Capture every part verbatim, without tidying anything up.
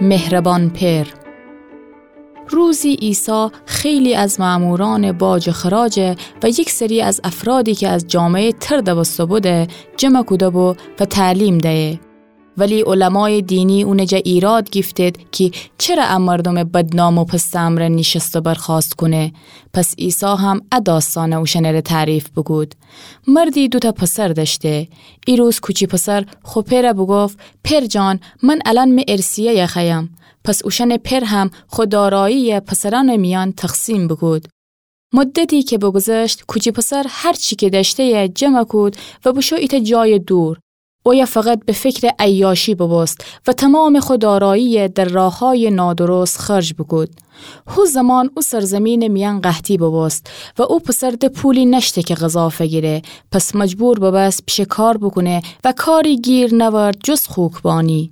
مهربان پئر. روزی عیسی خیلی از مأمورأنٚ باج و خراج و یک سری از افرادی که از جامعهٔ تر دوسته‌بوده، جمع کوده‌بو و تعلیم دیه. ولی علمایٚ دینی اونٚ جا ایراد گیفتید کی چره ا مردومٚ بدنام و پستٚ امرأ نیشست و برخاست کونه؟ پس عیسی هم ا داستأنه اوشأنٚره تعریف بوکود. مردی دوتأ پسر دأشته. ای روز کوچی پسر خو پئره بوگفت: پئر جان، من الأن می ارثیه‌یه خوأیم. پس اوشأنٚ پئر هم خو دارایی‌یه پسرأنٚ میأن تقسیم بوکود. مدتی که بگذشت، کوچی پسر هر چی که دأشته‌یه جمع کود و بوشو ایتأ جایٚ دور. اویه فقط به فکرٚ عیاشی ببوست و تومامٚ خو دارایی‌یه در راه‌هایٚ نادرست خرج بوکود. هو زمان او سرزمینٚ میأن قحطی ببوست و او پسر ده پولی نأشته که غذا فگیره، پس مجبور ببست پیشه کار بوکونه و کاری گیر نأورد جز خوکبانی.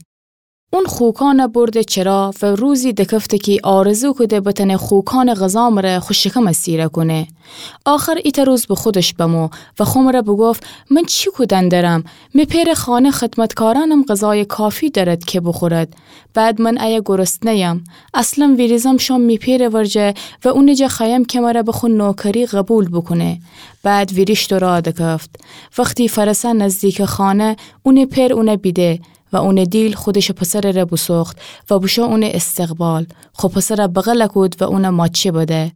اون خوکأنه برده چرا و روزی دکفته کی آرزو کوده بتأنه خوکأنٚ غذا مره خو شکمه سیره کونه. آخر ایتأ روز به خودش بمو و خو مره بوگفت: من چی کودن درم؟ می پئرٚ خانه خدمتکارأنم غذایٚ کافی دأرد که بوخورد. بعد من ایه گرسنه‌یم. اصلاً ویریزم شوم می پئرٚ ورجه و اونٚ جا خوأیم که مره به خو نوکری قبول بوکونه. بعد ویریشت و راه دکفت. وختی فأرسه نزدیکٚ خانه، اونٚ پئر اونه بیده و اونٚ دیل خودشٚ پسرٚ ره بوسوخت و بوشو اونٚ استقبال. خو پسره بغل کود و اونه ماچه بده.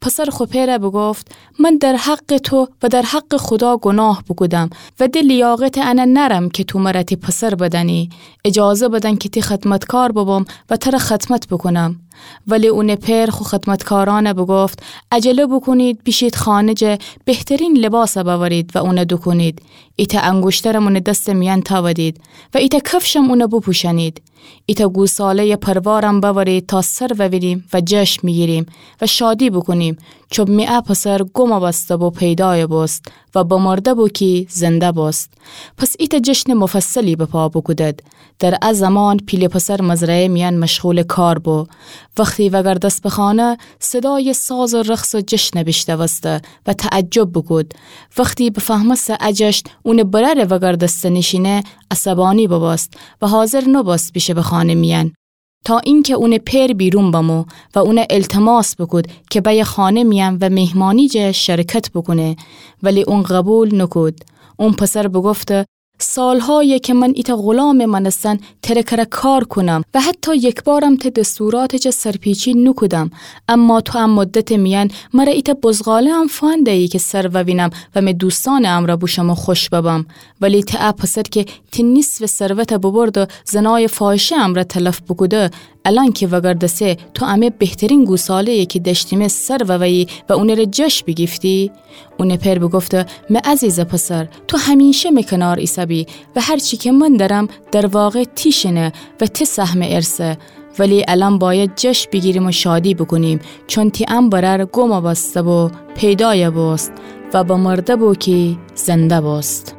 پسر خو پئره بوگفت: من در حقٚ تو و در حقٚ خودا گناه بوکودم و ده لیاقتٚ انه نأرم که تو مره تی پسر بدأنی. اجازه بدن که تی خدمتکار ببم و تره خدمت بوکونم. ولی اونٚ پئر خو خدمتکارأنه بوگفت: عجله بوکونید، بیشید خانه جه بهترین لباسه بأورید و اونه دوکونید. ایتأ انگوشترم اونٚ دستٚ میأن تأودید و ایتأ کفشم اونه بوپوشأنید. ایتأ گوساله‌یٚ پروارم بأورید تا سر ووینیم و جشن بیگیریم و شادی بوکونیم، چون می ا پسر گم بسته بو پیدایه بوست و بمرده بو کی زنده بوست. پس ایتأ جشنٚ مفصلی به پا بوکودد. در ا زمان پیله پسر مزرعه‌یٚ میأن مشغولٚ کار بو. وختی وگردست به خانه، صدایٚ ساز و رقص و جشنه بیشنوسته و تعجب بوکود. وختی بفهمسته ا جشن اونٚ برأرٚ وگردستنیشینه، عصبانی ببوست و حاضر نوبوست بیشه به خانه میأن، تا اینکه اونٚ پئر بیرون بمو و اونه التماس بوکود که بأیه خانه میأن و میهمانی جه شرکت بوکونه، ولی اون قبول نوکود. اون پسر بوگفته: سالهایه که من ایتأ غلامٚ مأنستن تره کره کار کونم و حتی یکبارم ته دستوراتٚ جه سرپیچی نوکودم، اما تو ا مدتٚ میأن مره ایتأ بزغاله‌ام فأنده‌یی که سر ووینم و می دوستأنٚ امرأ بوشم و خوش ببم. ولی ته ا پسر که تی نیصفٚ ثروته ببرده زنایٚ فاحشه امرأ تلف بوکوده، الأن که وگردسه تو امه بهترین گوساله‌یه که دأشتیمه سر وویی و اونٚ ره جشن بیگیفتی؟ اونٚ پئر بوگفته: می عزیزٚ پسر، تو همیشه می کنار ایسه‌بی و هر چی که من دأرم در واقع تی شینه و تی سهمٚ ارثه. ولی الأن بأید جشن بیگیریم و شادی بوکونیم، چون تی ا برأر گم بسته بو پیدایه بوست و بمرده بو کی زنده بوست.